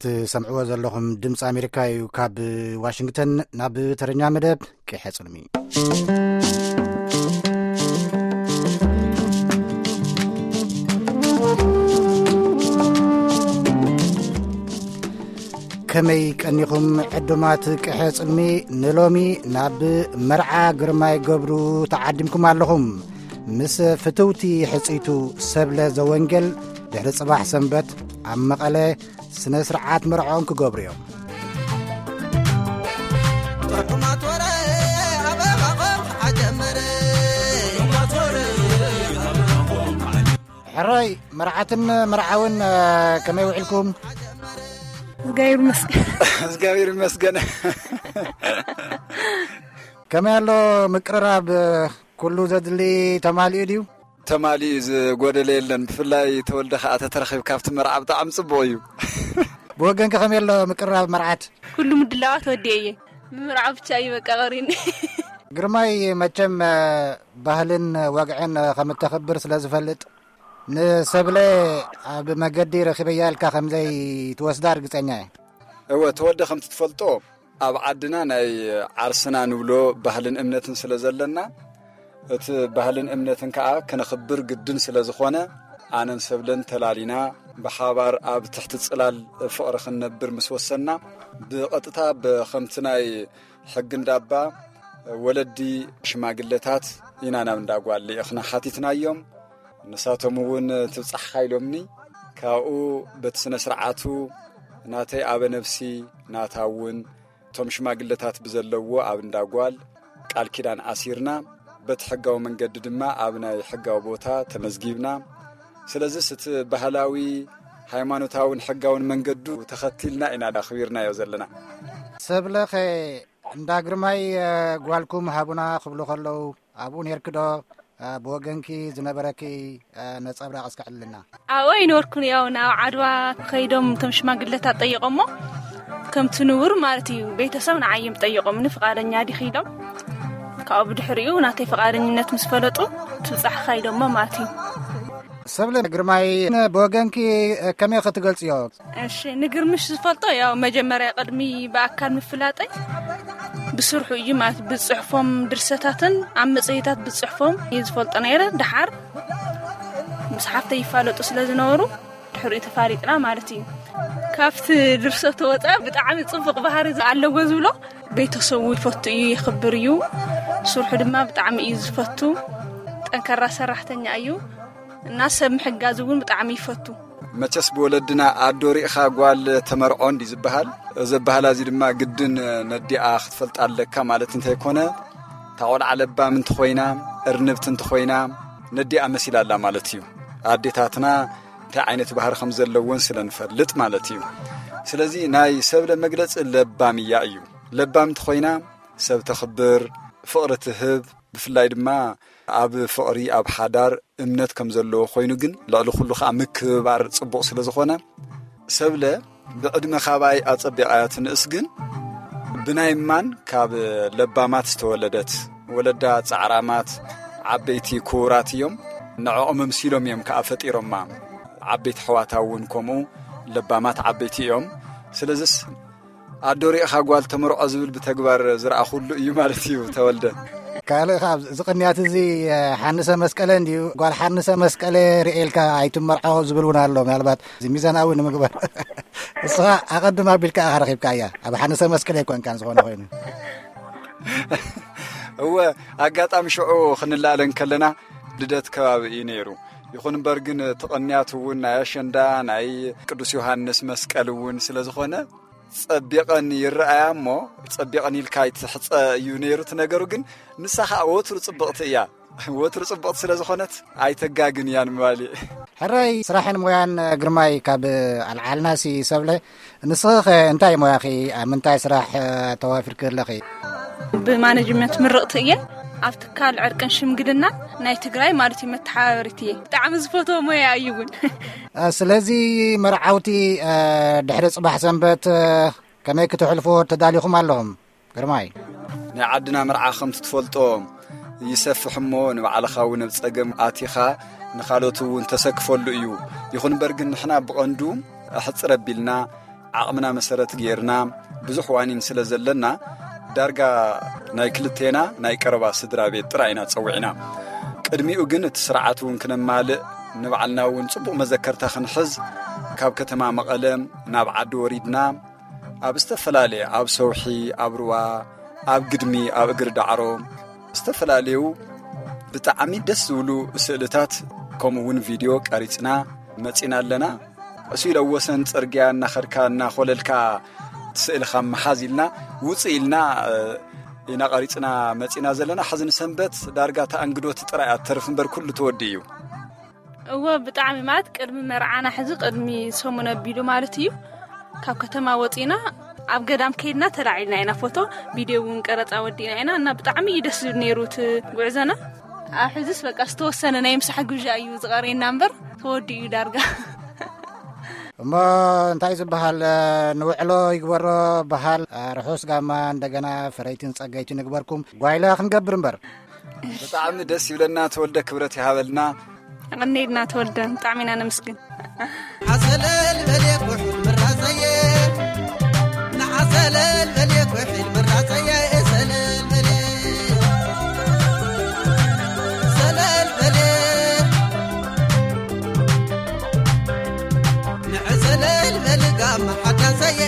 ትሰምዕዎ ዘለኹም ድምፂ ኣሜሪካ እዩ። ካብ ዋሽንግተን ናብ ተረኛ መደብ ቅሐ ጽልሚ። ከመይ ቀኒኹም ዕዱማት ቅሐ ጽልሚ? ንሎሚ ናብ መርዓ ግርማይ ገብሩ ተዓዲምኩም ኣለኹም። ምስ ፍትውቲ ሕጽይቱ ሰብለ ዘወንጌል ድሕሪ ጽባሕ ሰንበት ኣብ መቐለ ስነ ስርዓት መርዓኦም ክገብሩ እዮም። ሕራይ መርዓትን መርዓውን፣ እ፣ ከመይ ውዕልኩም? እግዚኣብሔር ይመስገን። እግዚኣብሔር ይመስገን። ከመይ ኣሎ ምቅርራብ? ኩሉ ዘድሊ ተማሊኡ ድዩ? ተማሊኡ፣ ዝጎደለ የለን። ብፍላይ ተወልደ ከኣ ተተረኺብ ካብቲ መርዓ ብጣዕሚ ጽቡቕ እዩ። ብወገንከ ከመይ ኣሎ ምቅርራብ መርዓት? ኩሉ ምድላዋት ወዲኤ እየ። ምምርዓው ብቻ እዩ በቃ ቀሪኒ። ግርማይ መቸም፣ እ፣ ባህልን ወግዕን፣ እ፣ ከም እተኽብር ስለ ዝፈልጥ፣ ንሰብለ ኣብ መገዲ ረኺበያ ኢልካ ከም ዘይትወስዳ ርግጸኛ እየ። እወ፣ ተወልደ፣ ከምቲ ትፈልጦ፣ ኣብ ዓድና ናይ ዓርስና ንብሎ ባህልን እምነትን ስለ ዘለና፣ እቲ ባህልን እምነትን ከኣ ከነኽብር ግድን ስለ ዝኾነ፣ ኣነን ሰብለን ተላሊና ብሓባር ኣብ ትሕቲ ጽላል ፍቕሪ ክንነብር ምስ ወሰንና፣ ብቐጥታ ብ-፣ ከምቲ ናይ ሕጊ እንዳባ ወለዲ ሽማግለታት ኢና ናብ እንዳጓል ልኢኽና ሓቲትናዮም። ንሳቶም እውን ትብጻሕኻ ኢሎምኒ። ካብኡ በቲ ስነ ስርዓቱ ናተይ ኣበ ነፍሲ፣ ናታ እውን እቶም ሽማግለታት ብዘለዎ ኣብ እንዳጓል ቃል ኪዳን ኣሲርና፣ በቲ ሕጋዊ መንገዲ ድማ ኣብ ናይ ሕጋዊ ቦታ ተመዝጊብና። ስለዚስ እቲ ባህላዊ፣ ሃይማኖታውን ሕጋውን መንገዱ ተኸቲልና ኢና ኣኽቢርናዮ ዘለና። ሰብለኸ እንዳ ግርማይ፣ እ፣ ጓልኩም ሃቡና ክብሉ ከለዉ ኣብኡ ኔርኪ ዶ? እ፣ ብወገንኪ ዝነበረኪ፣ እ፣ ነጸብራቕ እስከ ዕልልና። ኣብኡ ኣይነበርኩን። ያው ናብ ዓድዋ ከይዶም እቶም ሽማግለታት ጠይቖሞ፣ ከምቲ ንቡር ማለት እዩ፣ ቤተሰብ ንዓይ እዮም ጠይቖምኒ፣ ፍቓደኛ ዲኺ ኢሎም። ካብኡ ብድሕሪኡ ናተይ ፍቓደኝነት ምስ ፈለጡ፣ ትብጻሕኻ ኢሎሞ ማለት እዩ። ሰብለ ግርማይ፣ ብወገንኪ ከመይ ክትገልጽዮ? እሺ፣ ንግርምሽ ዝፈልጦ ያው መጀመርያ ቅድሚ ብኣካል ምፍላጠይ ብስርሑ እዩ ማለት፣ ብጽሑፎም ድርሰታትን ኣብ መጽሔታት ብጽሑፎም እየ ዝፈልጦ ነይረ። ደሓር ምስ ሓፍተይ ይፋለጡ ስለ ዝነበሩ ድሕሪኡ ተፋሊጥና ማለት እዩ። ካብቲ ድርሰቱ ወፃኢ ብጣዕሚ ጽቡቕ ባህሪ ኣለዎ ዝብሎ፣ ቤተሰቡ ይፈቱ እዩ፣ የኽብር እዩ። ስርሑ ድማ ብጣዕሚ እዩ ዝፈቱ። ጠንካራ ሰራሕተኛ እዩ እና ሰብ ምሕጋዝ እውን ብጣዕሚ ይፈቱ። መቸስ ብወለድና ኣዶ ሪእኻ ጓል ተመርዖ እንዲ ዝበሃል፣ እዚ ኣበሃላ እዚ ድማ ግድን ነዲኣ ክትፈልጣ ኣለካ ማለት እንተይኮነ፣ እታ ቆልዓ ለባም እንተኾይና፣ እርንብቲ እንተኾይና፣ ነዲኣ መሲላ ኣላ ማለት እዩ። ኣዴታትና እንታይ ዓይነት ባህሪ ከም ዘለወን ስለ ንፈልጥ ማለት እዩ። ስለዚ ናይ ሰብለ መግለጺ ለባም እያ እዩ። ለባም እንተኾይና ሰብ ተኽብር፣ ፍቕሪ ትህብ፣ ብፍላይ ድማ ኣብ ፍቕሪ፣ ኣብ ሓዳር እምነት ከም ዘለዎ ኮይኑ፣ ግን ልዕሊ ኩሉ ኸኣ ምክብባር ጽቡቕ ስለ ዝኾነ፣ ሰብለ ብዕድመ ካባይ ኣጸቢቓ እያ ትንእስ፣ ግን ብናይ እማን ካብ ለባማት ዝተወለደት፣ ወለዳ ጻዕራማት፣ ዓበይቲ ክቡራት እዮም። ንዕኦም ኣምሲሎም እዮም ከኣ ፈጢሮማ። ዓበይቲ ኣሕዋታ እውን ከምኡ ለባማት ዓበይቲ እዮም። ስለዚስ ኣዶ ሪእኻ ጓል ተመርዖ ዝብል ብተግባር ዝረኣኹሉ እዩ ማለት እዩ፣ ተወልደ። ካልእ ካብ እዚ ቅንያት እዚ፣ ሓንሰ መስቀለ እንድዩ፣ ጓል ሓንሰ መስቀለ ርኤልካ ኣይትመርዖ ዝብል እውን ኣሎ። ምናልባት እዚ ሚዛናዊ ንምግባር፣ እስኻ ኣቐድም ኣቢልካ ኢኻ ረኺብካያ፣ ኣብ ሓንሰ መስቀለ ኣይኮንካን ዝኾነ ኮይኑ። እወ፣ ኣጋጣሚ ሽዑ ክንላለ እንከለና ልደት ከባቢ እዩ ነይሩ። ይኹን እምበር ግን እቲ ቅንያት እውን ናይ ኣሸንዳ፣ ናይ ቅዱስ ዮሃንስ መስቀል እውን ስለ ዝኾነ፣ ጸቢቐን ይረኣያ እሞ፣ ጸቢቐን ኢልካ ኣይትሕጸ እዩ ነይሩ እቲ ነገሩ። ግን ንሳ ኸኣ ወትሩ ጽብቕቲ እያ። ወትሩ ጽብቕቲ ስለ ዝኾነት ኣይተጋግን እያ ንምባል እዩ። ሕራይ ስራሕን ሞያን ግርማይ ካብ ኣልዓልናሲ ሰብለ፣ ንስኺ ኸ እንታይ ሞያኺ? ኣብ ምንታይ ስራሕ ተዋፊርኪ ኣለኺ? ብማኔጅመንት ምርቕቲ እየ። ኣብ ትካል ዕርቅን ሽምግልና ናይ ትግራይ ማለት እዩ መተሓባበሪት እየ። ብጣዕሚ ዝፈትዎ ሞያ እዩ እውን። እ፣ ስለዚ መርዓውቲ፣ እ፣ ድሕሪ ጽባሕ ሰንበት፣ እ፣ ከመይ ክትሕልፎ ተዳሊኹም ኣለኹም? ግርማይ። ናይ ዓድና መርዓ ከምቲ ትፈልጦ ይሰፍሕ እሞ፣ ንባዕልኻ እውን ኣብ ጸገም ኣቲኻ ንኻልኦት እውን ተሰክፈሉ እዩ። ይኹን እምበር ግን ንሕና ብቐንዱ ኣሕጽር ኣቢልና ዓቕምና መሰረት ገይርና ብዙሕ ዋኒን ስለ ዘለና፣ ዳርጋ ናይ ክልቴና ናይ ቀረባ ስድራ ቤት ጥራይ ኢና ጸዊዕና። ቅድሚኡ ግን እቲ ስርዓት እውን ክነማልእ፣ ንባዕልና እውን ጽቡቕ መዘከርታ ክንሕዝ፣ ካብ ከተማ መቐለ ናብ ዓዲ ወሪድና፣ ኣብ ዝተፈላለየ፣ ኣብ ሰውሒ፣ ኣብ ሩባ፣ ኣብ ግድሚ፣ ኣብ እግሪ ዳዕሮ፣ ዝተፈላለዩ ብጣዕሚ ደስ ዝብሉ ስእልታት፣ ከምኡ እውን ቪድዮ ቀሪጽና መጺና ኣለና። እሱ ኢለ ወሰን ጽርግያ እናኸድካ እናኾለልካ ስእልኻ ምሓዝ ኢልና፣ ውጽእ ኢልና፣ እ፣ ኢና ቀሪጽና መጺና ዘለና። ሕዚ ንሰንበት ዳርጋ ተኣንግዶት ጥራይ እያ ትተርፍ እምበር ኩሉ ተወዲኡ እዩ። እወ፣ ብጣዕሚ ማለት ቅድሚ መርዓና ሕዚ ቅድሚ ሰሙን ኣቢሉ ማለት እዩ። ካብ ከተማ ወጺና ኣብ ገዳም ከይድና ተላዒልና ኢና ፎቶ፣ ቪድዮ እውን ቀረጻ ወዲእና ኢና እና ብጣዕሚ እዩ ደስ ዝብል ነይሩ እቲ ጉዕዞና። ኣብ ሕዝስ በቃ ዝተወሰነ ናይ ምሳሕ ግብዣ እዩ ዝቐርየና እምበር ተወዲኡ እዩ ዳርጋ። እሞ እንታይ ዝበሃል፣ ንውዕሎ ይግበሮ በሃል። ርሑስ ጋማ እንደገና ፍረይትን ጸገይትን ይግበርኩም። ጓይላ ክንገብር እምበር። ብጣዕሚ ደስ ይብለና። ተወልደ ክብረት ይሃበልና። ኣቐኔልና ተወልደ፣ ብጣዕሚ ኢና ነመስግን። ዓሰለል በልየ ኩሕል ምራፀየ፣ ንዓሰለል በልየ ኩሕል ምራፀየ፣ ሰለል በልየ፣ ሰለል በልየ፣ ንዕሰለል በል ጋማ ሓዳሰየ።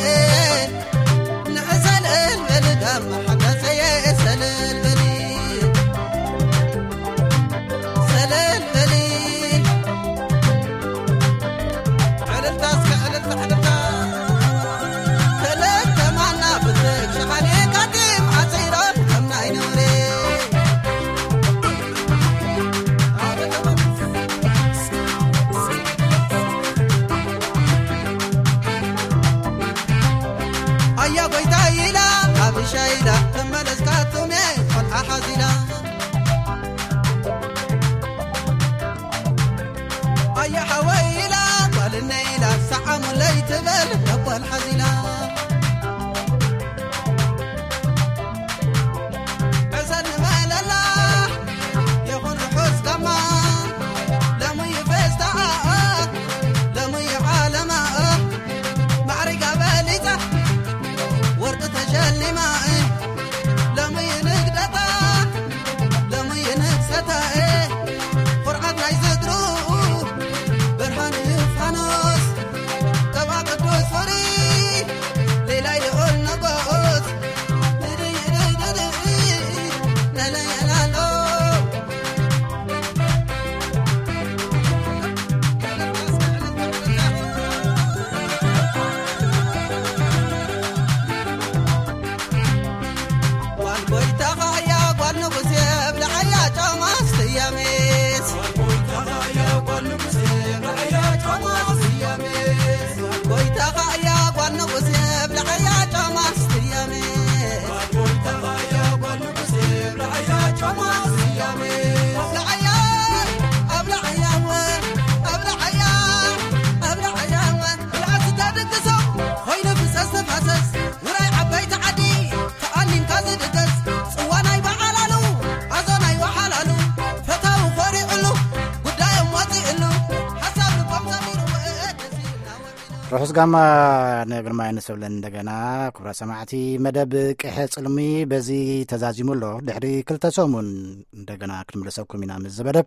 ንዕሰለል በሊ ጋማ ሓዳሰየ፣ ሰለል በሊ፣ ሰለል በሊ። ዕልልታ እስከ ዕልልታ፣ ዕልልታ። ክልተ ማና ብትክ ሸሓኒ ካቲም ዓፂሮም ከም ናይ ነውሪ። ኣያ ጎይታ ኢላ ኣብሻ ኢላ ተመለስካ ቱሜ ቆልዓ ሓዚላ። ኣያ ሓወይ ኢላ ጓልነ ኢላ ሰዓሙለይ ትበል ነቦል ሓዚላ። ዕሰል ንበለላ ይኹን ርሑስ ጋማ፣ ለሙይ ፌስታ፣ ለሙይ ዓለማ፣ ማዕሪጋ በሊጻ፣ ወርቂ ተሸሊማ፣ ለሙይ ንግደታ፣ ለሙይ ንግሰታ፣ ኩርዓት ናይ ዝድሩ፣ ብርሃን ፋኖስ፣ ቀባ ቅዱስ ፍሪ፣ ሌላ ይኹን ንጉስ፣ ጓል ጎይታኻ እያ ጓል ንጉስ የብልዓያ ጫማ ስያሜስ። ጎይታኻ እያ ጓል ንጉስ የብልዓያ ጫማ ስያሜስ። ርሑስ ጋማ ንግርማይ ንሰብለን እንደገና። ክቡራት ሰማዕቲ፣ መደብ ቅሐ ጽልሚ በዚ ተዛዚሙ ኣሎ። ድሕሪ ክልተ ሰሙን እንደገና ክንምለሰኩም ኢና ምስ ዝበለ።